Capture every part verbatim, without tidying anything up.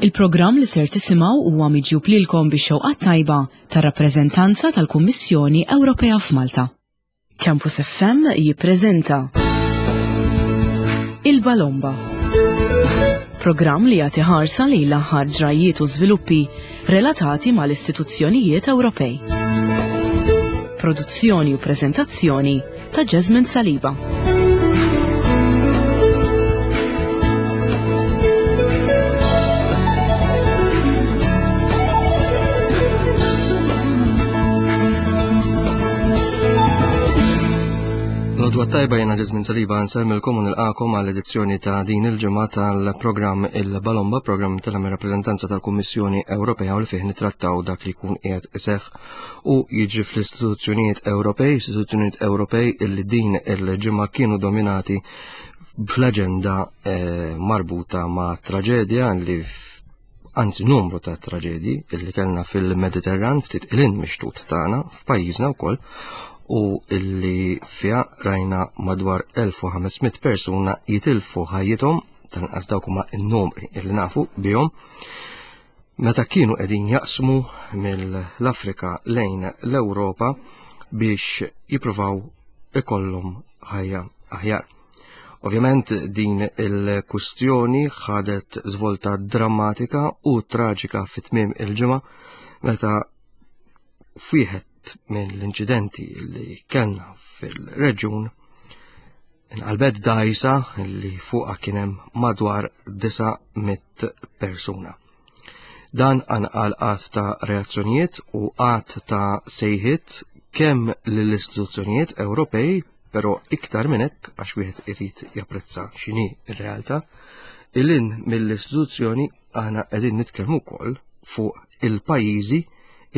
Il-programm li ser tisimgħu huwa miġjub lilkom bix-xewqa tajba tar-rappreżentanza tal-Kummissjoni Ewropea f'Malta. Campus F M jippreżenta Il-Balomba. Programm li jagħti ħarsa lejn l-aħħar ġrajiet u żviluppi relatati mal-istituzzjonijiet Ewropej. Produzzjoni u preżentazzjoni ta' Jasmine Saliba. L-għodwa t-tajba, jiena Jasmine Saliba, nsellmilkom u nilqagħkom għall edizzjoni ta' din il-ġimgħa tal-programm Il-Balomba, programm tal-rappreżentanza tal-Kummissjoni Ewropea u li fih nitrattaw dak li jkun qiegħed iseħħ u jiġri fl-istituzzjonijiet Ewropej, istituzzjonijiet Ewropej illi din il-ġimgħa kienu dominati fl-aġenda eh, marbuta ma' traġedja li, anzi numru ta' traġedji illi kellna fil-Mediterran ftit 'il hinn mix-xtut tagħna f'pajjiżna wkoll u illi fiha rajna madwar elf u ħames mitt persuna jitilfu ħajjithom, tal-inqas dawk huma n-numri illi nafu bihom, meta kienu qegħdin jaqsmu mill-Afrika lejn l-Ewropa biex jippruvaw ikollhom ħajja aħjar. Ovvjament din il-kustjoni ħadet żvolta drammatika u traġika fit-tmiem il-ġimgħa meta f'wieħed mill-inċidenti li kellna fil-reġjun inqalbet dajsa li fuqha kien hemm madwar disa' mitt persuna. Dan qanqal għadd ta' reazzjonijiet u għadd ta' sejħiet kemm lill-istituzzjonijiet Ewropej, però iktar minn hekk, għax wieħed irid japprezza x'inhi r-realtà, 'il hinn mill-istituzzjoni aħna qegħdin nitkellmu wkoll fuq il-pajjiżi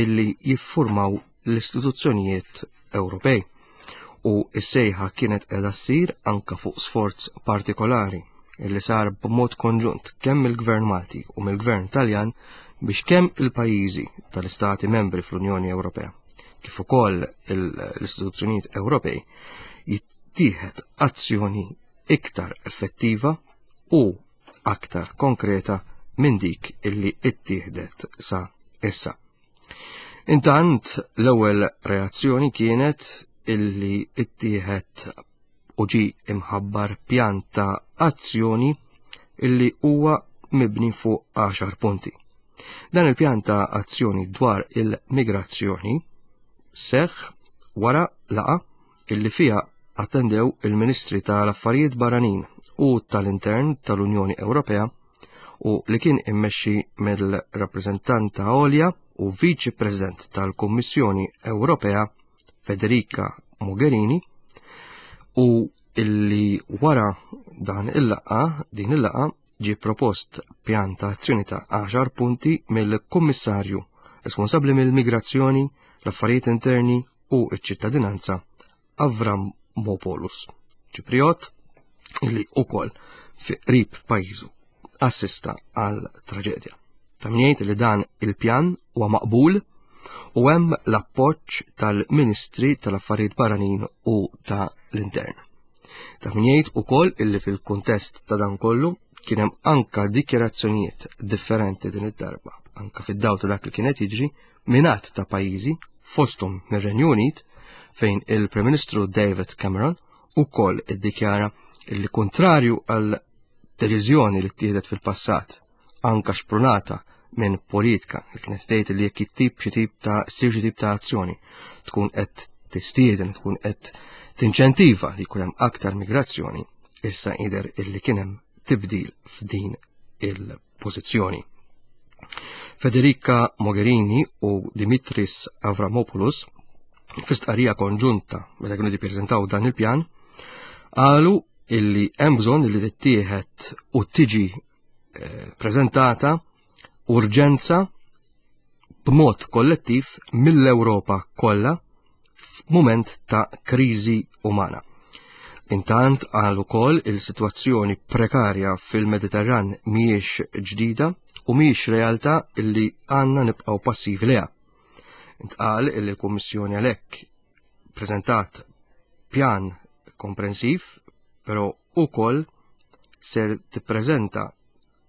illi jiffurmaw l-istituzzjonijiet Ewropej. U s-sejħa kienet qiegħda ssir anka fuq sforz partikolari illi sar b'mod konġunt kemm mill-Gvern Malti u mill-Gvern Taljan biex kemm il-pajjiżi tal-Istati membri fl-Unjoni Ewropea kif ukoll l-istituzzjonijiet Ewropej jittieħed azzjoni iktar effettiva u aktar konkreta minn dik illi ittieħdet sa issa. Intant l-ewwel reazzjoni kienet illi ittieħed u ġi imħabbar pjan ta' azzjoni illi huwa mibni fuq għaxar punti. Dan il-pjan ta' azzjoni dwar il-migrazzjoni seħ wara laqgħa illi fiha attendew il-Ministri tal-Affarijiet Barranin u tal-Intern tal-Unjoni Ewropea u li kien immexxi mill-rappreżentanta għolja u Viċi President tal-Kummissjoni Ewropea Federica Mogherini u illi wara dan il-laqgħa, din il-laqgħa, ġi propost pjan ta' azzjoni ta' għaxar punti mill-Kummissarju responsabbli mill-migrazzjoni, l-affarijiet interni u ċ-ċittadinanza Avramopoulos, Ċipriot illi ukoll fi qrib pajjiżu assista għal traġedja. Ta' min jgħid li dan il-pjan huwa maqbul u hemm l-appoġġ tal-Ministri tal-Affarijiet Barranin u tal-Intern. Ta' min jgħid ukoll illi fil-kuntest ta' dan kollu kien hemm anka dikjarazzjonijiet differenti din id-darba, anka fid-dawl ta' dak li kienet jiġri minn għadd ta' pajjiżi, fosthom mir-Renju Unit, fejn il-Prim Ministru David Cameron ukoll iddikjara illi, kontrarju għal deċiżjoni li ttieħdet fil-passat, anka xprunata minn politika li kienet tgħid li jekk tip xi tip ta' ssir xi tip ta' azzjoni tkun qed tistieden, tkun qed tinċentiva li jkun hemm aktar migrazzjoni, issa jidher illi kien hemm tibdil f'din il-pożizzjoni. Federica Mogherini u Dimitris Avramopoulos fi stqarrija konġunta meta kienu jippreżentaw dan il-pjan qalu illi hemm bżonn illi tittieħed u tiġi eh, preżentata urġenza b'mod kollettiv mill-Ewropa kollha f'mument ta' kriżi umana. Intant qal ukoll il-sitwazzjoni prekarja fil-Mediterran mhijiex ġdida u mhijiex realtà illi għandna nibqgħu passivi leha. Intqal illi l-Kummissjoni għalhekk preżentat pjan komprensiv, però ukoll ser tippreżenta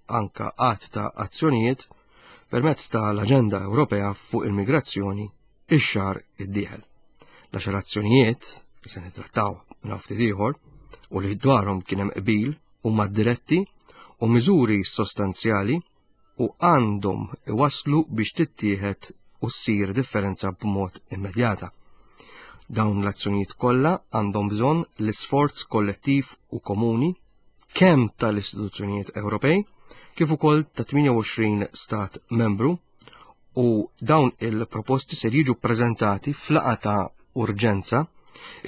anka għadd ta' azzjonijiet permezz tal-Aġenda Ewropea fuq il-migrazzjoni ix-xahar id-dieħel. L-għaxar azzjonijiet li se nittrattaw minn ftit ieħor u li dwarhom kien hemm qbil huma diretti u miżuri sostanzjali u għandhom iwaslu biex tittieħed u ssir differenza b'mod immedjata. Dawn l-azzjonijiet kollha għandhom bżonn l-isforz kollettiv u komuni kemm tal-istituzzjonijiet Ewropej kif ukoll ta' tmienja u għoxrin stat membru, u dawn il-proposti ser jiġu prezentati f'laqgħa ta' urġenza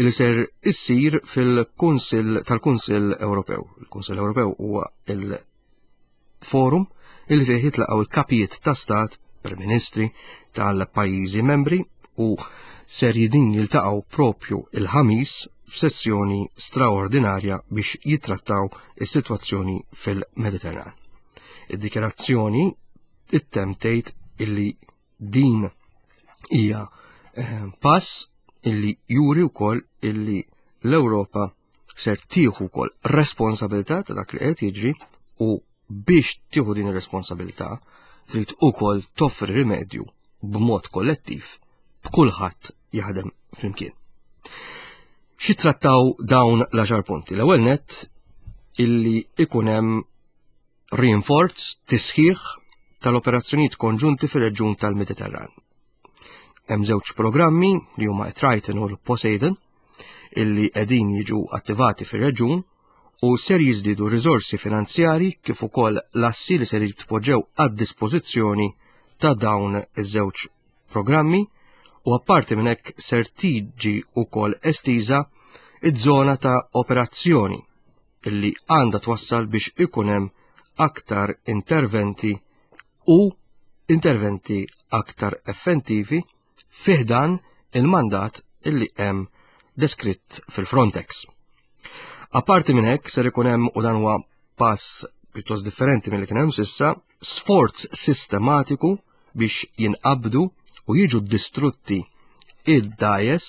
li ser issir fil-Kunsill tal-Kunsill Ewropew. Il-Kunsill Ewropew huwa il-forum il fih jitlaqgħu il-kapijiet ta' stat, prim-ministri tal-pajjiżi membri, u ser jidin jiltaqgħu propju il-Ħamis f'sessjoni straordinarja biex jitrattaw is-sitwazzjoni fil-Mediterran. Id-dikjarazzjoni ittemm tgħid illi din hija eh, pass illi juri wkoll illi l-Ewropa ser tieħu wkoll responsabilità ta' dak li qed jiġri, u biex tieħu din ir-responsabilità trid ukoll toffri rimedju b'mod kollettiv, b'kulħadd jaħdem flimkien. Xi trattaw dawn l-għaxar punti? L-ewwel net, illi ikun hemm rinforz, tisħiħ tal-operazzjonijiet konġunti fir-reġjun tal-Mediterran. Hemm żewġ programmi li huma Triton u l-Poseidon illi qegħdin jiġu attivati fir-reġjun, u ser jiżdiedu riżorsi finanzjari kif ukoll l-assi li ser jitpoġġew għad dispożizzjoni ta' dawn iż-żewġ programmi, u apparti minn hekk ser tiġi wkoll estiża iż-żona ta' operazzjoni illi għandha twassal biex ikun hemm aktar interventi u interventi aktar effettivi fi ħdan il-mandat illi hemm deskritt fil-Frontex. Apparti minn hekk ser ikun hemm, u dan huwa pass pjuttost differenti mill-li kien hemm s'issa, sforz sistematiku biex jinqabdu u jiġu distrutti id-dgħajjes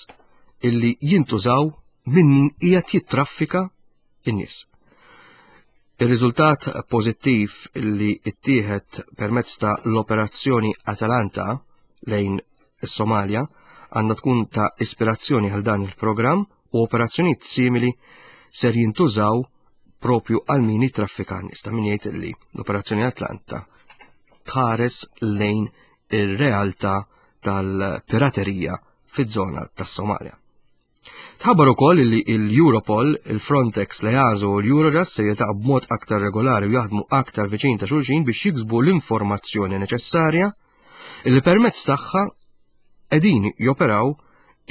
illi jintużaw minn min qiegħed jittraffika in-nies. Ir-riżultat pożittiv illi ittieħed permezz ta' l-operazzjoni Atalanta lejn is-Somalja għandha tkun ta' ispirazzjoni għal dan il-programm, u operazzjonijiet simili ser jintużaw propju għal min jittraffika n-nies. Ta' min jgħid li l-operazzjoni Atlanta tħares lejn ir-realtà tal-piraterija fiż-żona tas-Somalja. Tħabbar ukoll li l-Europol, il-Frontex, l-EASO u l-Eurojust se jiltaqgħu b'mod aktar regolari u jaħdmu aktar viċin ta' xulxin biex jiksbu l-informazzjoni neċessarja li permezz tagħha qegħdin joperaw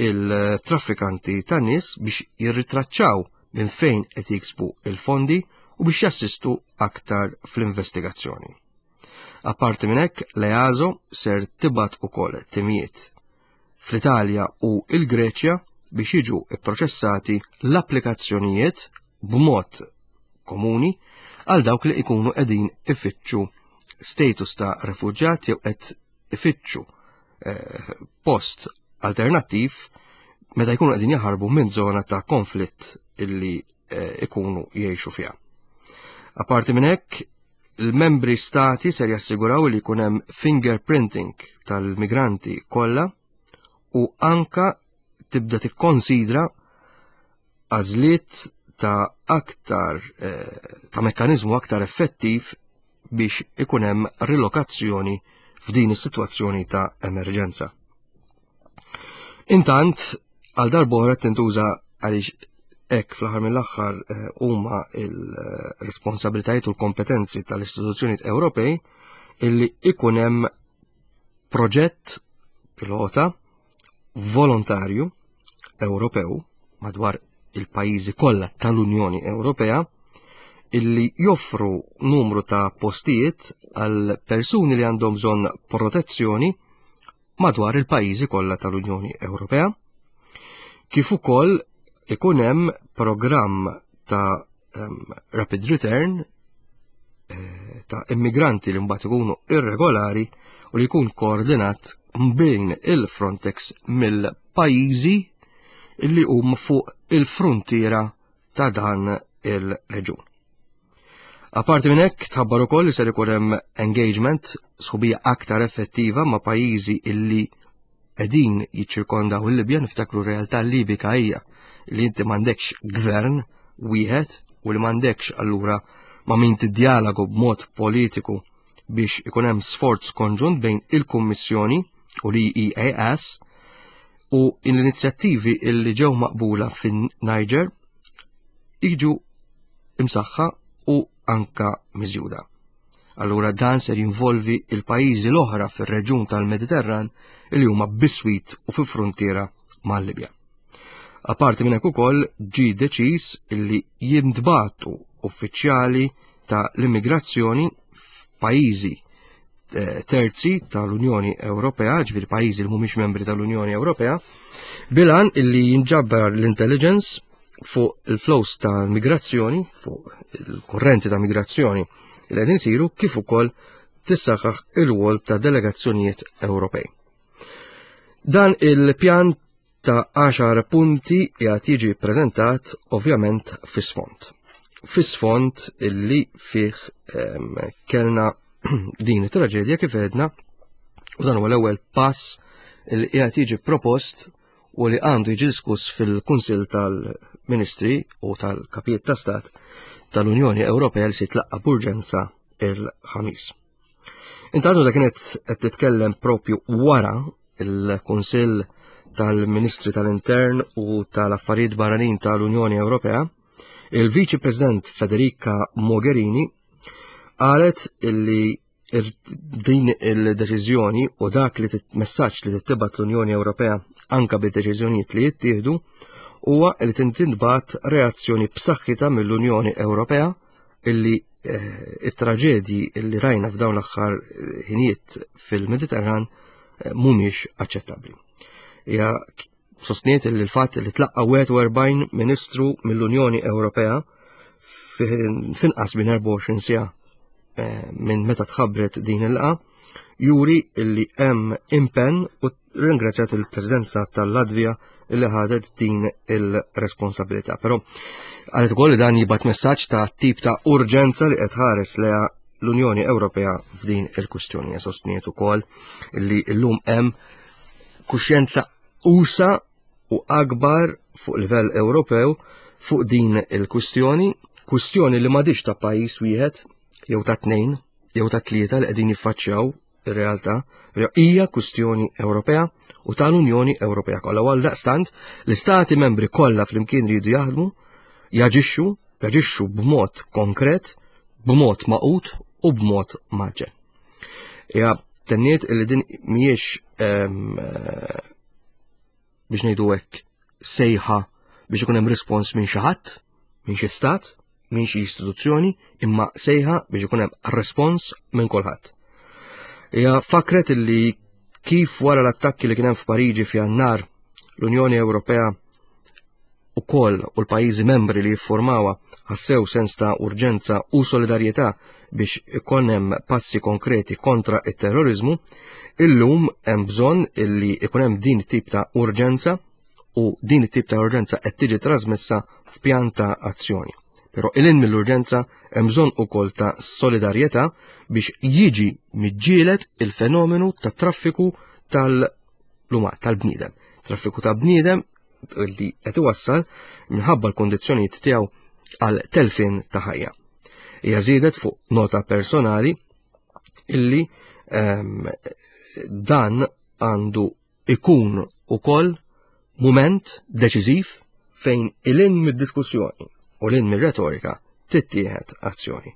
il-traffikanti ta' nies, biex jirritraċċaw minn fejn qed jiksbu il-fondi u biex jassistu aktar fl-investigazzjoni. Apparti minn hekk, l-EASO ser tibgħat ukoll timijiet fl-Italja u il-Greċja biex jiġu ipproċessati l-applikazzjonijiet b'mod komuni għal dawk li ikunu qegħdin ifittxu status ta' refuġjat jew qed ifittxu eh, post alternattiv meta jkunu qegħdin jaħarbu minn żona ta' konflitt illi eh, ikunu jgħixu fiha. Apparti minn hekk, il-membri stati ser jassiguraw li jkun hemm fingerprinting tal-migranti kollha u anka tibda tikkonsidra għażliet ta' aktar eh, ta' mekkanizmu aktar effettiv biex ikun hemm rilokazzjoni f'din is-sitwazzjoni ta' emerġenza. Intant, għal darb'oħra tintuża, għaliex hekk fl-aħħar mill-aħħar eh, huma il-responsabilitajiet u l-kompetenzi tal-istituzzjonijiet Ewropej, illi ikun hemm proġett pilota volontarju Ewropew madwar il-pajjiżi kollha tal-Unjoni Ewropea illi joffru numru ta' postijiet għal persuni li għandhom bżonn protezzjoni madwar il-pajjiżi kollha tal-Unjoni Ewropea. Kif ukoll ikun hemm programm ta' um, rapid return eh, ta' immigranti li mbagħad ikunu irregolari u li jkun koordinat bejn il-Frontex mill-pajjiżi illi huma fuq il-frontiera ta' dan il-reġun. Aparti minn hekk tħabbar ukoll li ser ikun hemm engagement, sħubija aktar effettiva ma' pajjiżi illi qegħdin jiċċirkondaw il-Libja. Niftakru, realtà Libika hija li inti m'għandekx gvern wieħed u li m'għandekx allura ma' min tiddialogu b'mod politiku biex ikun hemm sforz konġunt bejn il-Kummissjoni u l-E E A S u l-inizjattivi illi ġew maqbula fin-Niger jiġu imsaħħa u anka miżjuda. Allura dan ser jinvolvi il-pajjiżi l-oħra fir-reġjun tal-Mediterran li huma biswit u fi frontiera mal-Libja. Aparti minn hekk, ukoll ġi deċiż illi jintbagħtu uffiċjali ta' l-immigrazzjoni f'pajjiżi eh, terzi tal-Unjoni Ewropea, ġifieri pajjiżi li mhumiex membri tal-Unjoni Ewropea, bil-għan illi jinġabbar l-intelligence fuq il-flows ta' migrazzjoni, fuq il-korrenti ta' migrazzjoni li qegħdin isiru, kif ukoll tissaħħaħ ir-rwol ta' delegazzjonijiet Ewropej. Dan il-pjan ta' għaxar punti jgħat jiġi prezentat ovvjament fis-sfond. Fis-sfond illi fih em, kellna din it-traġedja kif għedna, u dan huwa l-ewwel pass li qiegħed jiġi propost u li għandu jiġi diskuss fil-Kunsill tal-Ministri u tal-Kapijiet ta' Stat tal-Unjoni Ewropea li se jitlaqqa b'urġenza il-Ħamis. Intantu da kienet qed titkellem propju wara il-Kunsill tal-Ministri tal-Intern u tal-Affarijiet Barranin tal-Unjoni Ewropea, il-Viċi President Federica Mogherini qalet illi din il-deċiżjoni u dak li messaġġ li tibgħat l-Unjoni Ewropea anka bid-deċiżjonijiet li jittieħdu huwa li tintbagħat reazzjoni b'saħħitha mill-Unjoni Ewropea illi eh, it-traġedji illi rajna f'dawn l-aħħar eh, ħinijiet fil-Mediterran eh, mhumiex aċċettabbli. Hija sostniet li l-fatt li tlaqqa wieħed u erbgħin ministru mill-Unjoni Ewropea finqas minn erbgħa u għoxrin siegħa minn meta tħabbret din il-laqgħa juri illi hemm impenn, u ringrazzjat il-Presidenza tal-Latvija illi ħadet din il-responsabilità. Però qalet ukoll li dan jibgħat messaġġ ta' tip ta' urġenza li qed tħares lejha l-Unjoni Ewropea f'din il-kwistjoni. Sostniet ukoll li llum hemm kuxjenza usa' u akbar fuq livell Ewropew fuq din il-kwistjoni, kwistjoni li m'għadix ta' pajjiż wieħed jew ta' tnejn jew ta' tlieta li qegħdin jiffaċċjaw ir-realtà, hija kwistjoni Ewropea u tal-Unjoni Ewropea kollha. Għal daqstant l-istati membri kollha flimkien ridu jaħdmu, jaġixxu, jaġixxu b'mod konkret, b'mod magħqud u b'mod mgħaġġel. Ja tenniet li din mhijiex, biex ngħidu hekk, sejħa biex ikun hemm rispons minn xi ħadd, minn xi stat, minn xi istituzzjoni, imma sejħa biex ikun hemm respons minn kulħadd. Hija fakret illi kif wara l-attakki li kien hemm f'Pariġi f'Jannar, l-Unjoni Ewropea ukoll u l-pajjiżi membri li jiffurmawha ħassew sens ta' urġenza u solidarjetà biex ikun hemm passi konkreti kontra it-terrorizmu, illum hemm bżonn illi ikun hemm din tip ta' urġenza u din it-tip ta' urġenza qed tiġi trasmessa f'pjan ta' azzjoni. Però lil hinn mill-urġenza hemm bżonn ukoll ta' solidarjetà biex jiġi miġġielet il-fenomenu ta' traffiku tal-luma tal-bniedem. Traffiku ta' bniedem li qed iwassal minħabba l-kondizzjonijiet tiegħu għal telfin ta' ħajja. Hija żiedet fuq nota personali illi um, dan għandu ikun ukoll mument deċiżiv fejn lil hinn mid-diskussjoni u lil hinn mir-retorika tittieħed azzjoni.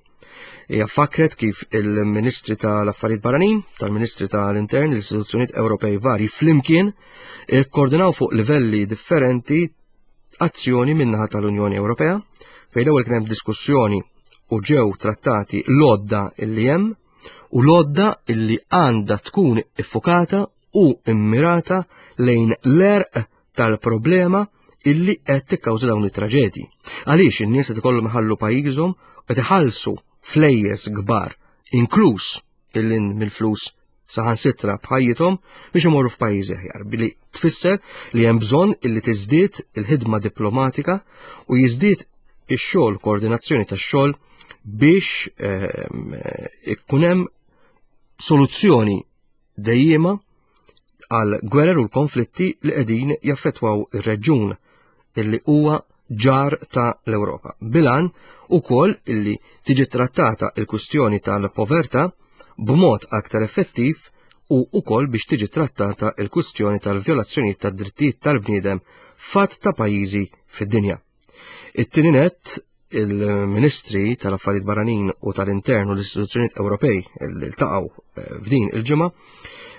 Hija fakret kif il-Ministri tal-Affarijiet Barranin, tal-Ministri tal-Intern, l-istituzzjonijiet Ewropej vari flimkien ikkoordinaw fuq livelli differenti azzjoni min-naħa tal-Unjoni Ewropea, fejn l-ewwel kien hemm diskussjoni u ġew trattati l-għodda illi hemm u l-għodda illi għandha tkun iffokata u immirata lejn l-għerq tal-problema illi qed tikkawża dawn it-traġedji. Għaliex in-nies qed ikollhom iħallu pajjiżhom, qed iħallsu flejjes kbar, inkluż lil hinn mill-flus saħansitra b'ħajjithom, biex imorru f'pajjiżi aħjar, billi tfisser li hemm bżonn illi tiżdied il-ħidma diplomatika u jiżdied ix-xogħol, koordinazzjoni tax-xogħol biex ehm, ikun hemm soluzzjoni dejjema għal gwerer u l-konflitti li qegħdin jaffettwaw ir-reġjun illi huwa ġar ta' l-Ewropa. Bil-għan ukoll illi tiġi trattata il-kwistjoni tal-povertà b'mod aktar effettiv u ukoll biex tiġi trattata il-kwistjoni tal-vjolazzjoni tad-drittijiet tal-bniedem f'għadd ta' pajjiżi fid-dinja. It-tieni nett, il-Ministri tal-Affarijiet Barranin u tal-Intern u l-istituzzjonijiet Ewropej li ltaqgħu eh, f'din il-ġimgħa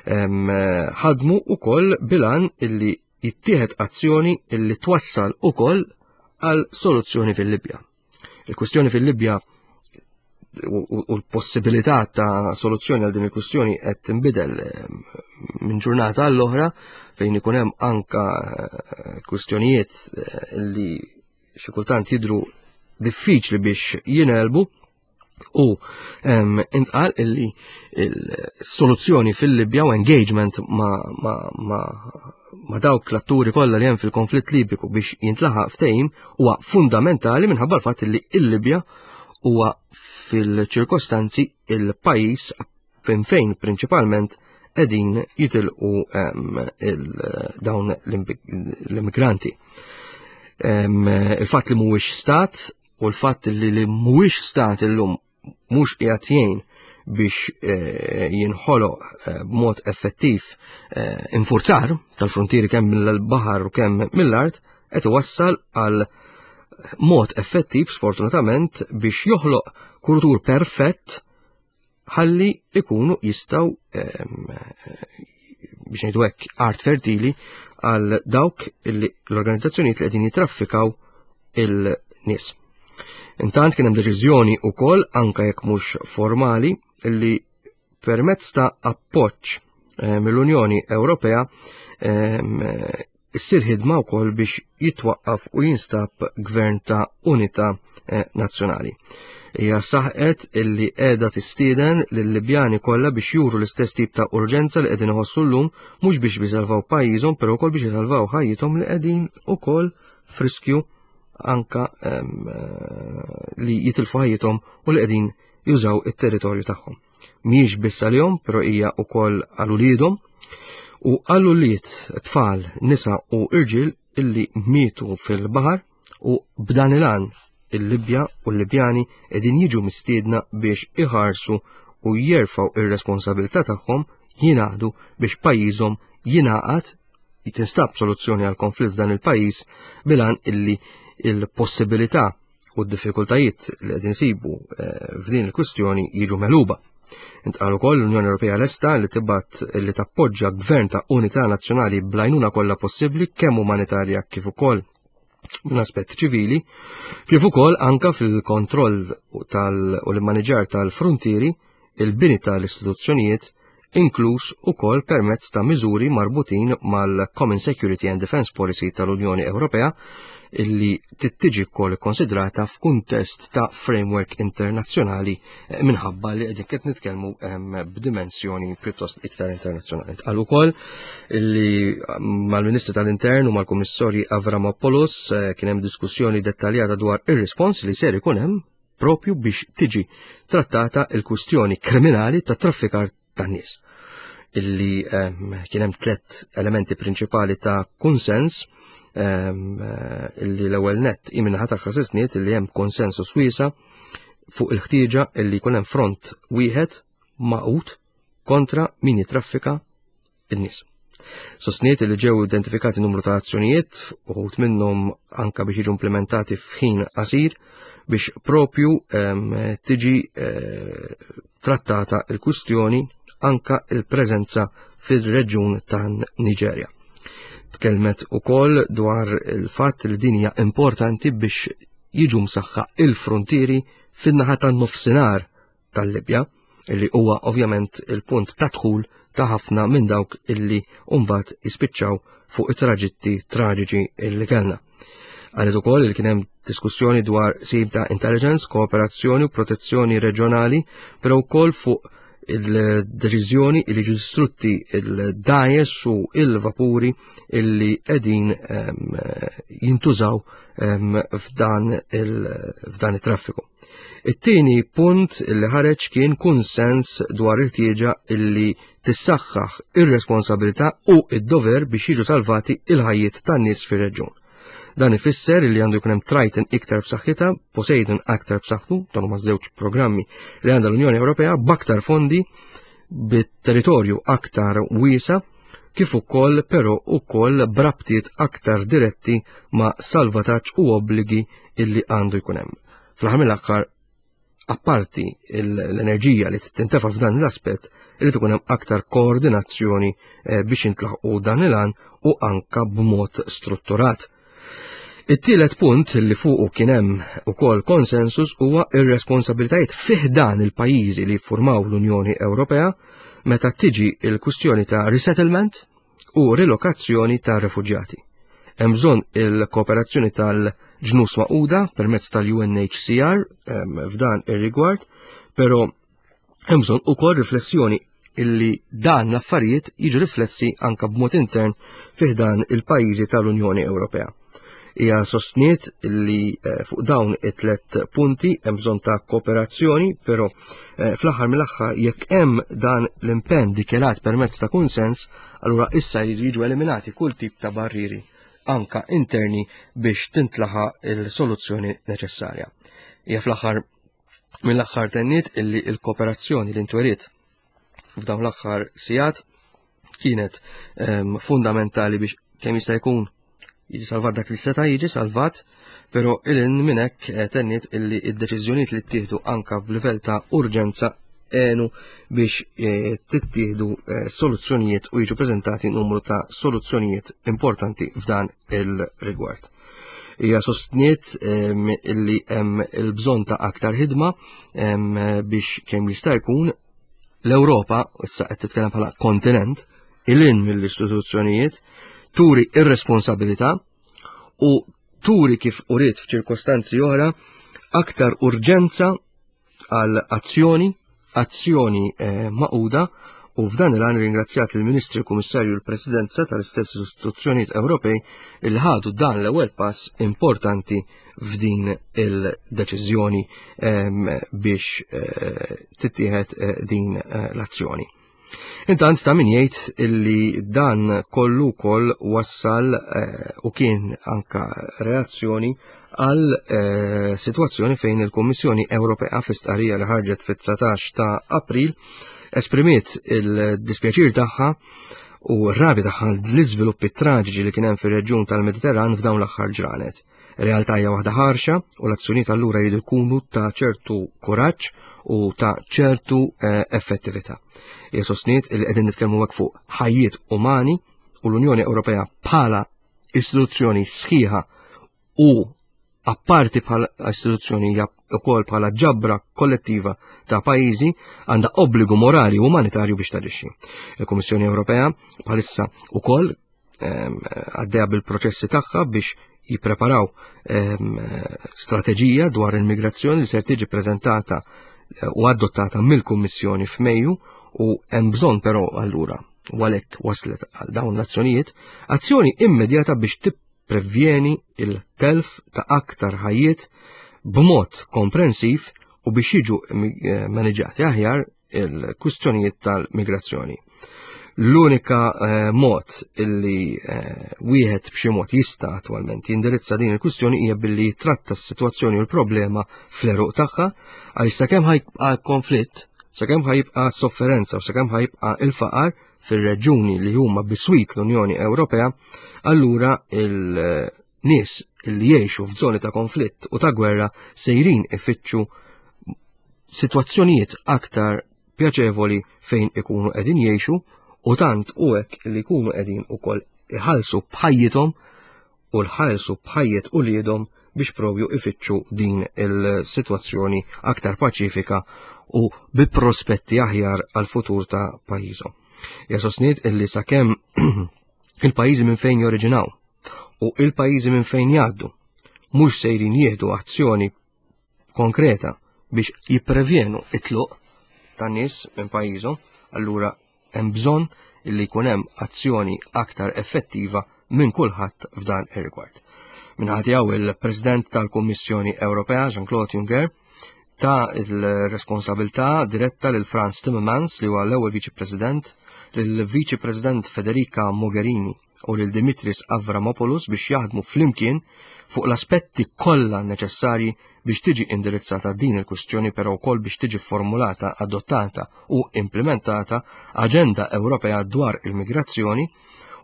ħadmu ukoll bil-għan illi jittieħed azzjoni illi twassal ukoll għal soluzzjoni fil-Libja. Il-kwistjoni fil-Libja u l-possibilità ta' soluzzjoni għal din il-kwistjoni qed tinbidel minn ġurnata għall-oħra, fejn ikun hemm anka eh, kwistjonijiet eh, li xi kultant jidru diffiċli biex jingħelbu, u intqal illi il-soluzzjoni fil-Libja u engagement ma, ma, ma, ma dawk l-atturi kollha li hemm fil-konflitt Libiku biex jintlaħaq ftehim huwa fundamentali minħabba l-fatt li il-Libja huwa fil-ċirkostanzi il-pajjiż fejn fejn prinċipalment qegħdin jitilqu dawn l-immigranti. Il-fatt li mhuwiex stat u l-fatt li li mhuwiex stat illum mhux qiegħed jgħin biex eh, jinħoloq eh, b'mod effettiv eh, infurzar tal-frontieri kemm mill-baħar u kemm mill-art, qed iwassal għal mod effettiv sfortunatament biex joħloq kultur perfett ħalli ikunu jistgħu, biex ngħidu hekk, art fertili għal dawk illi l-organizzazzjonijiet li qegħdin jitraffikaw il-nies. Intant kien hemm deċiżjoni wkoll, anke jekk mhux formali, illi permezz ta' appoġġ eh, mill-Unjoni Ewropea issir ħidma wkoll biex jitwaqqaf u jinstab gvern ta' unità eh, nazzjonali. Hija saħqet illi qiegħda tistieden lill-Libjani kollha biex juru l-istess tip ta' urġenza li qegħdin iħossu llum, mhux biex bisalvaw pajjiżhom, però wkoll biex jisalvaw ħajjithom li qegħdin ukoll friskju anka eh, li jitilfu ħajjithom u li qegħdin jużaw it-territorju tagħhom. Mhijiex biss għalihom, però hija wkoll għal uliedhom u għal ulied tfal, nisa u irġiel illi mietu fil-baħar, u b'dan il-għan il-Libja u l-Libjani qegħdin jiġu mistiedna biex iħarsu u jerfgħu ir-responsabilità tagħhom, jingħaqdu biex pajjiżhom jingħaqad, jitinstab soluzzjoni għal konflitt f'dan il-pajjiż bil-għan illi il-possibilità u d-diffikultajiet li qegħdin insibu eh, f'din il-kwistjoni jiġu megħluba. Intqal ukoll l-Unjoni Ewropea lesta li tibgħat li tappoġġa gvern ta' unità nazzjonali bl-għajnuna kollha possibbli, kemm umanitarja kif ukoll minn aspett ċivili, kif ukoll anka fil-kontroll tal u l-immaniġar tal-frontieri, il-bini tal-istituzzjonijiet, inkluż ukoll permezz ta' miżuri marbutin mal-Common Security and Defense Policy tal-Unjoni Ewropea, illi tittiġi wkoll ikkonsidrata f'kuntest ta' framework internazzjonali, eh, minħabba li qegħdin qed nitkellmu b'dimensjoni pjuttost iktar internazzjonali. Tqal ukoll illi mal-Ministru tal-Intern u mal-Kummissarju Avramopoulos eh, kien hemm diskussjoni dettaljata dwar ir-rispons li ser ikun hemm propju biex tiġi trattata il-kwistjoni kriminali ta' traffikar tan-nies, illi kien hemm tliet elementi prinċipali ta' konsens, illi l-ewwel nett min-naħa tagħha sostniet illi hemm konsensus wiesa' fuq il-ħtieġa illi jkun hemm front wieħed magħqud kontra min jitraffika in-nies. Sostniet li ġew identifikati numru ta' azzjonijiet, uħud minnhom anka biex jiġu implementati f'ħin qasir biex propju tiġi eh, trattata il-kwistjoni, anka il-preżenza fil-reġjun ta' Niġerja. Tkellmet ukoll dwar il-fatt li din hija importanti biex jiġu msaħħa il-frontieri fin-naħa tan-nofsinhar tal-Libja, illi huwa ovvjament il-punt ta' dħul ta' ħafna minn dawk illi mbagħad jispiċċaw fuq it-traġitti traġiċi illi kellna. Qalet ukoll li kien hemm diskussjoni dwar sim ta' intelligence, kooperazzjoni u protezzjoni reġjonali, però wkoll fuq il-deċiżjoni li jiġu distrutti il-dgħajjes u il-vapuri illi qegħdin jintużaw f'dan it-traffiku. It-tieni punt li ħareġ kien kunsens dwar il-ħtieġa illi tissaħħaħ ir-responsabilità u id-dover biex jiġu salvati il-ħajjiet tan-nies fir-reġjun. Dan ifisser li għandu jkun hemm Triton iktar b'saħħitha, Poseidon aktar b'saħħtu, dan huma żewġ programmi li għandha l-Unjoni Ewropea b'aktar fondi bit-territorju aktar wiesa, kif ukoll però ukoll b'rabtiet aktar diretti ma' salvataġġ u obbligi illi għandu jkun hemm. Fl-aħħar mill-aħħar, apparti l-enerġija li tintefa' f'dan l-aspett, irid ikun hemm aktar koordinazzjoni eh, biex intlaħqu dan il-għan u anka b'mod strutturat. It-tielet punt li fuqu kien hemm ukoll konsensus huwa ir-responsabilitajiet fih dan il-pajjiżi li jiffurmaw l-Unjoni Ewropea meta tiġi il-kwistjoni ta' resettlement u relokazzjoni ta' refuġjati. Hemm bżonn il-kooperazzjoni tal-Ġnus Magħquda permezz tal-U N H C R f'dan ir-rigward, però hemm bżonn ukoll riflessjoni illi dan l-affarijiet jiġu riflessi anka b'mod intern fih dan il-pajjiżi tal-Unjoni Ewropea. Hija sostniet li eh, fuq dawn it-tlet punti hemm bżonn ta' kooperazzjoni, però eh, fl-aħħar mill-aħħar, jekk hemm dan l-impenn dikjarat permezz ta' kunsens, allura issa jridu jiġu eliminati kull tip ta' barriri anka interni biex tintlaħaq il-soluzzjoni neċessarja. Hija fl-aħħar mill-aħħar tenniet illi il-kooperazzjoni li ntweriet f'dawn l-aħħar sigħat kienet um, fundamentali biex kemm jista' jkun jiġi salvat dak li seta' jiġi salvat, però ilin minn hekk eh, tenniet illi id-deċiżjonijiet li ttieħdu anka b'livell ta' urġenza għenu biex eh, tittieħdu eh, soluzzjonijiet u jiġu preżentati numru ta' soluzzjonijiet importanti f'dan il-rigward. Hija sostniet illi hemm il-bżonn ta' aktar ħidma biex kemm jista' jkun l-Ewropa, issa qed titkellem bħala kontinent, ilin mill-istituzzjonijiet, turi ir-responsabilità u turi, kif uriet f'ċirkostanzi oħra, aktar urġenza għal azzjoni, azzjoni eh, magħquda. U f'dan il-għan ringrazzjat il-Ministri, il-Kummissarju, l-Presidenza tal-istess istituzzjonijiet Ewropej il ħadu dan l-ewwel pass importanti f'din il-deċiżjoni biex eh, tittieħed eh, din eh, l-azzjoni. Intant, ta' min jgħid illi dan kollu koll wassal u kien anka reazzjoni għal situazzjoni fejn il-Kummissjoni Ewropea, fi stqarrija li ħarġet fit-dsatax ta' April, esprimiet il-dispjaċir tagħha u r-rabja tagħha l-iżviluppi traġiċi li kien hemm fir-reġjun tal-Mediterran f'dawn l-aħħar ġranet. Realtà hija waħda ħarxa u l-azzjonijiet allura jridu jkunu ta' ċertu kuraġġ u ta' ċertu eh, effettività. Hija sostniet li qegħdin nitkellmu hekk fuq ħajjiet umani u l-Unjoni Ewropea bħala istituzzjoni sħiħa u apparti bħala istituzzjoni hija wkoll bħala ġabra kollettiva ta' pajjiżi, għandha obbligu morali u umanitarju biex taġixxi. Il-Kummissjoni Ewropea bħalissa wkoll ehm, għaddejja bil-proċessi tagħha biex jippreparaw ehm, strateġija dwar il-migrazzjoni li ser tiġi preżentata eh, u adottata mill-Kummissjoni f'Mejju. U hemm bżonn però allura, u għalhekk waslet għal dawn l-azzjonijiet, azzjoni immedjata biex tipprevjeni il-telf ta' aktar ħajjiet b'mod komprensiv u biex jiġu eh, maniġati aħjar il-kwistjonijiet tal-migrazzjoni. L-unika eh, mod illi eh, wieħed b'xi mod jista' attwalment jindirizza din il-kwistjoni hija billi jitratta s-sitwazzjoni u l-problema fl-għeruq tagħha, għaliex sakemm ħa jibqa' konflitt, sakemm ħa jibqa' sofferenza u sakemm ħa jibqa' il-faqar fir-reġjuni li huma biswit l-Unjoni Ewropea, allura il-nies li jgħixu f'żoni ta' konflitt u ta' gwerra sejrin ifittxu sitwazzjonijiet aktar pjaċevoli fejn ikunu qegħdin jgħixu, u tant u hekk li jkunu qegħdin ukoll iħallsu b'ħajjithom u jħallsu b'ħajjet uliedhom biex propju ifittxu din il-sitwazzjoni aktar paċifika u bi prospetti aħjar għal futur ta' pajjiżhom. Hija sostniet illi sakemm il-pajjiżi minn fejn joriġinaw u il-pajjiżi minn fejn jgħaddu mhux sejrin jieħdu azzjoni konkreta biex jipprevjenu it-tluq ta' nies minn pajjiżhom, allura hemm bżonn illi jkun hemm azzjoni aktar effettiva minn kulħadd f'dan ir-rigward. Min-naħa tiegħu il-President tal-Kummissjoni Ewropea Jean-Claude Juncker ta il-responsabilità diretta lil Frans Timmermans li huwa l-ewwel Viċi President, lil Viċi President Federica Mogherini u lil Dimitris Avramopoulos biex jaħdmu flimkien fuq l-aspetti kollha neċessarji biex tiġi indirizzata din il-kwistjoni però wkoll biex tiġi formulata, adottata u implementata aġenda Ewropea dwar il-migrazzjoni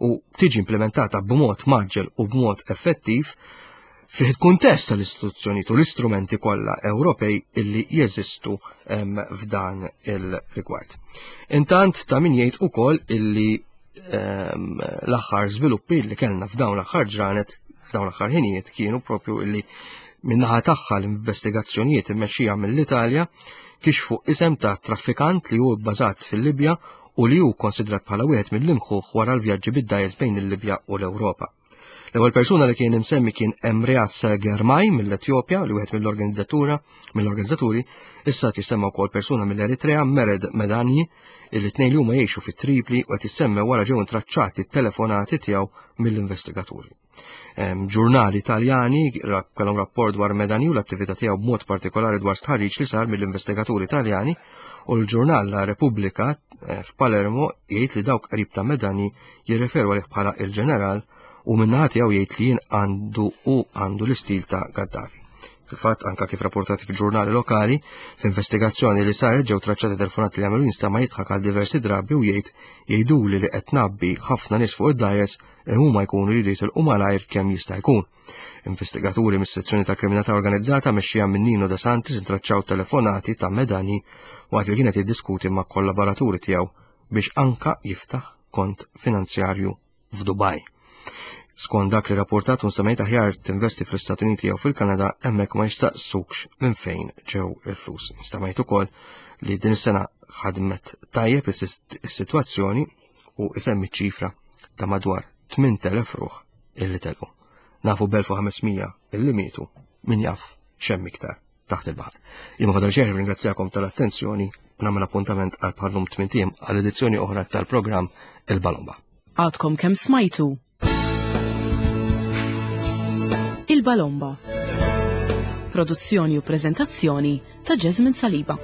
u tiġi implementata b'mod mgħaġġel u b'mod effettiv fih il-kuntest tal-istituzzjonijiet u l-istrumenti kollha Ewropej illi jeżistu f'dan il-rigward. Intant ta' min jgħid ukoll illi l-aħħar żviluppi li kellna f'dawn l-aħħar ġranet, f'dawn l-aħħar ħinijiet kienu propju illi min-naħa tagħha l-investigazzjonijiet immexxija mill-Italja kixfu isem ta' traffikant li hu bbażat fil-Libja u li hu konsidrat bħala wieħed mill-imħuħ wara l-vjaġġi bid-dgħajjes bejn il-Libja u l-Ewropa. L-ewwel persuna li kien imsemmi kien Emreas Germay mill-Etjopja, li wieħed mill-organizzatura, mill-organizzaturi, issa tisemma wkoll persuna mill-Eritrea, Mered Medani, illi tnejn li huma jgħixu fi Tripli u qed jissemmew wara ġew intraċċati t-telefonati tiegħu mill-investigaturi. Ġurnali Italjani kellhom rapport dwar Medani u l-attività tiegħu b'mod partikolari dwar stħarriġ li sar mill-investigaturi Italjani, u l-ġurnal La Repubblica f'Palermo jgħid li dawk qrib ta' Medani jirreferu għalih bħala il-ġeneral u min-naħa tiegħu jgħid li jien għandu u għandu l-istil ta' Gaddafi. Fil-fatt, anka kif rapportati fil-ġurnali lokali, f'investigazzjoni li saret ġew traċċati telefonati li għamlu jinstama' jidħak għal diversi drabi u jgħid jgħiduli li qed nabbi ħafna nies fuq id-dgħajjes huma jkunu jridu jitilqu malajr kemm jista' jkun. Investigaturi mis-sezzjoni tal-kriminalità organizzata mexxija minn Nino De Santis intraċċaw telefonati ta' Medani waqt li kienet jiddiskuti ma' kollaboraturi tiegħu biex anka jiftaħ kont finanzjarju f'Dubaj. Skont dak li rapportat un semmejt aħjar tinvesti fl-Istati Uniti jew fil-Kanada hemmhekk ma jistaqsukx minn fejn ġew il-flus. Instamajt ukoll li din is-sena ħadmet tajjeb is-sitwazzjoni u isemmi ċifra ta' madwar tmien elef ruħ illi telqu. Nafu b'elf u ħames mija illi mietu, min jaf x'hemm iktar taħt il-baħar. Jien ma fadal xejn ringrazzjakom tal-attenzjoni u nagħmel appuntament għal bħallum tmien ijiem għal edizzjoni oħra tal-programm Il-Balomba. Għadkom kemm smajtu Il-Balomba. Produzzjoni u prezentazzjoni ta' Jasmine Saliba.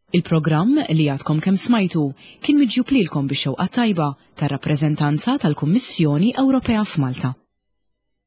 Il-programm li għadkom kemm smajtu kien miġjub lilkom bix-xewqa tajba tar-rappreżentanza tal-Kummissjoni Ewropea f'Malta.